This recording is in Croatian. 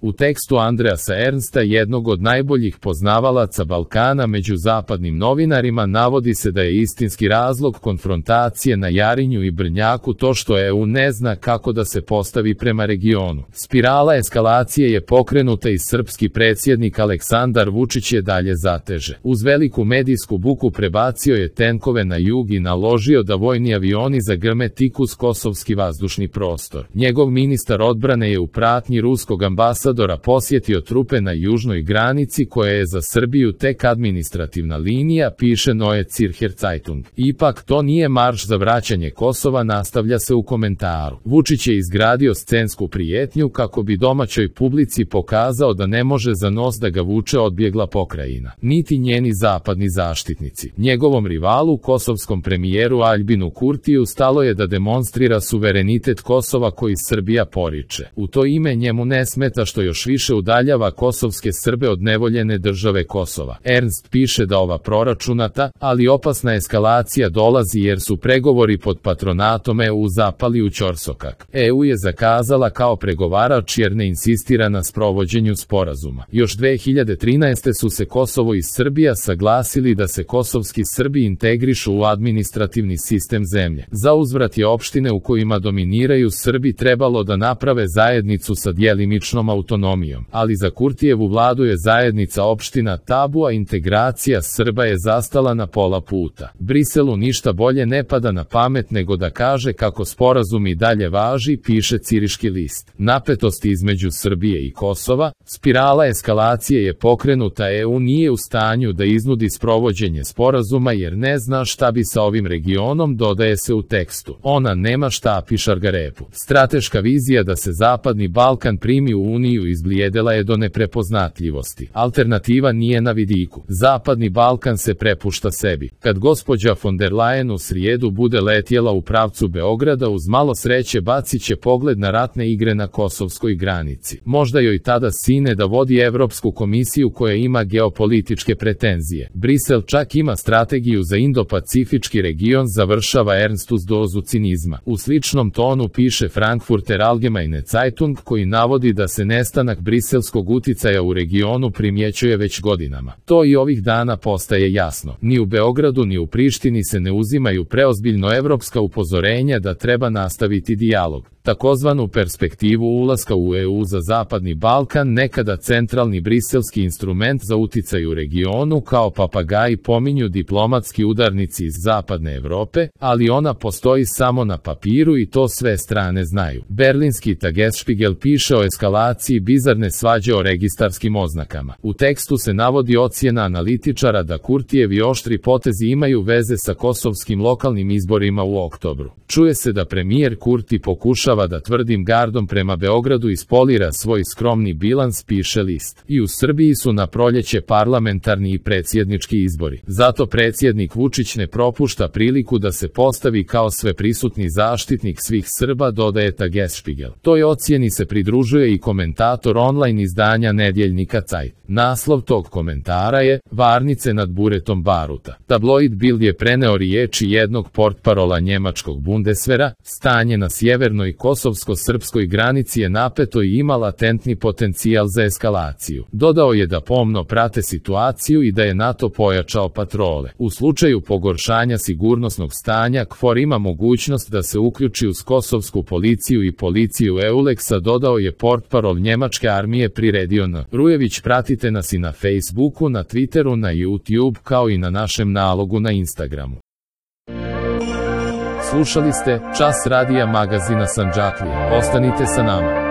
U tekstu Andreasa Ernsta, jednog od najboljih poznavalaca Balkana među zapadnim novinarima, navodi se da je istinski razlog konfrontacije na Jarinju i Brnjaku to što EU ne zna kako da se postavi prema regionu. Spirala eskalacije je pokrenuta i srpski predsjednik Aleksandar Vučić je dalje zateže. Uz veliku medijsku buku prebacio je tenkove na jug i naložio da vojni avioni zagrme tik uz kosovski vazdušni prostor. Njegov ministar odbrane je u pratnji ruskog ambasadora posjetio trupe na južnoj granici koja je za Srbiju tek administrativna linija, piše Neue Zürcher Zeitung. Ipak to nije marš za vraćanje Kosova, nastavlja se u komentaru. Vučić je izgradio scensku prijetnju kako bi domaćoj publici pokazao da ne može za nos da ga vuče odbjegla pokrajina, niti njeni zapadni zaštitnici. Njegovom rivalu, kosovskom premijeru Aljbinu Kurtiju, stalo je da demonstrira suverenitet Kosova koji Srbija poriče. U to ime njemu ne smeta što još više udaljava kosovske Srbe od nevoljene države Kosova. Ernst piše da ova proračunata, ali opasna eskalacija dolazi jer su pregovori pod patronatom EU zapali u ćorsokak. EU je zakazala kao pregovarač jer ne insistira na sprovođenju sporazuma. Još 2013. su se Kosovo i Srbija saglasili da se kosovski Srbi integrišu u administrativni sistem zemlje. Za uzvrat je opštine u kojima dominiraju Srbi trebalo da naprave zajednicu sa djelimičnom autonomijom, ali za Kurtijevu vladu je zajednica opština tabu, a integracija Srba je zastala na pola puta. Briselu ništa bolje ne pada na pamet nego da kaže kako sporazum i dalje važi, piše Ciriški list. Napetosti između Srbije i Kosova, spirala eskalacije je pokrenuta, EU nije u stanju da iznudi sprovođenje sporazuma jer ne zna šta bi sa ovim regionom, dodaje se u tekstu. Ona nema štapi šargarepu. Strateška vizija da se Zapadni Balkan primi u Uniju izblijedela je do neprepoznatljivosti. Alternativa nije na vidiku. Zapadni Balkan se prepušta sebi. Kad gospođa von der Leyen u srijedu bude letjela u pravcu Beograda, uz malo sreće bacit će pogled na ratne igre na kosovskoj granici. Možda joj tada sine da vodi Evropsku komisiju koja ima geopolitičke pretenzije. Brisel čak ima strategiju za Indo-Pacifički region, završava Ernst uz dozu cinizma. U sličnom tonu piše Frankfurter Allgemeine Zeitung, koji navodi da se nestanak briselskog uticaja u regionu primjećuje već godinama. To i ovih dana postaje jasno. Ni u Beogradu ni u Prištini se ne uzimaju preozbiljno evropska upozorenja da treba nastaviti dijalog. Takozvanu perspektivu ulaska u EU za Zapadni Balkan, nekada centralni briselski instrument za uticaj u regionu, kao papagaji pominju diplomatski udarnici iz Zapadne Evrope, ali ona postoji samo na papiru i to sve strane znaju. Berlinski Tagesspiegel piše o eskalaciji bizarne svađe o registarskim oznakama. U tekstu se navodi ocjena analitičara da Kurtijevi oštri potezi imaju veze sa kosovskim lokalnim izborima u oktobru. Čuje se da premijer Kurti pokušava da tvrdim gardom prema Beogradu ispolira svoj skromni bilans, piše list. I u Srbiji su na proljeće parlamentarni i predsjednički izbori. Zato predsjednik Vučić ne propušta priliku da se postavi kao sveprisutni zaštitnik svih Srba, dodaje Tagesspiegel. Toj ocjeni se pridružuje i komentator online izdanja nedjeljnika Zeit. Naslov tog komentara je "Varnice nad buretom baruta". Tabloid Bild je preneo riječi jednog portparola njemačkog Bundeswehra: stanje na sjevernoj kosovsko-srpskoj granici je napeto i ima latentni potencijal za eskalaciju. Dodao je da pomno prate situaciju i da je NATO pojačao patrole. U slučaju pogoršanja sigurnosnog stanja, KFOR ima mogućnost da se uključi uz kosovsku policiju i policiju EULEX-a, dodao je portparol njemačke armije, priredio N. Rujević. Pratite nas i na Facebooku, na Twitteru, na YouTube, kao i na našem nalogu na Instagramu. Slušali ste Čas radija magazina Sandžaklija. Ostanite sa nama.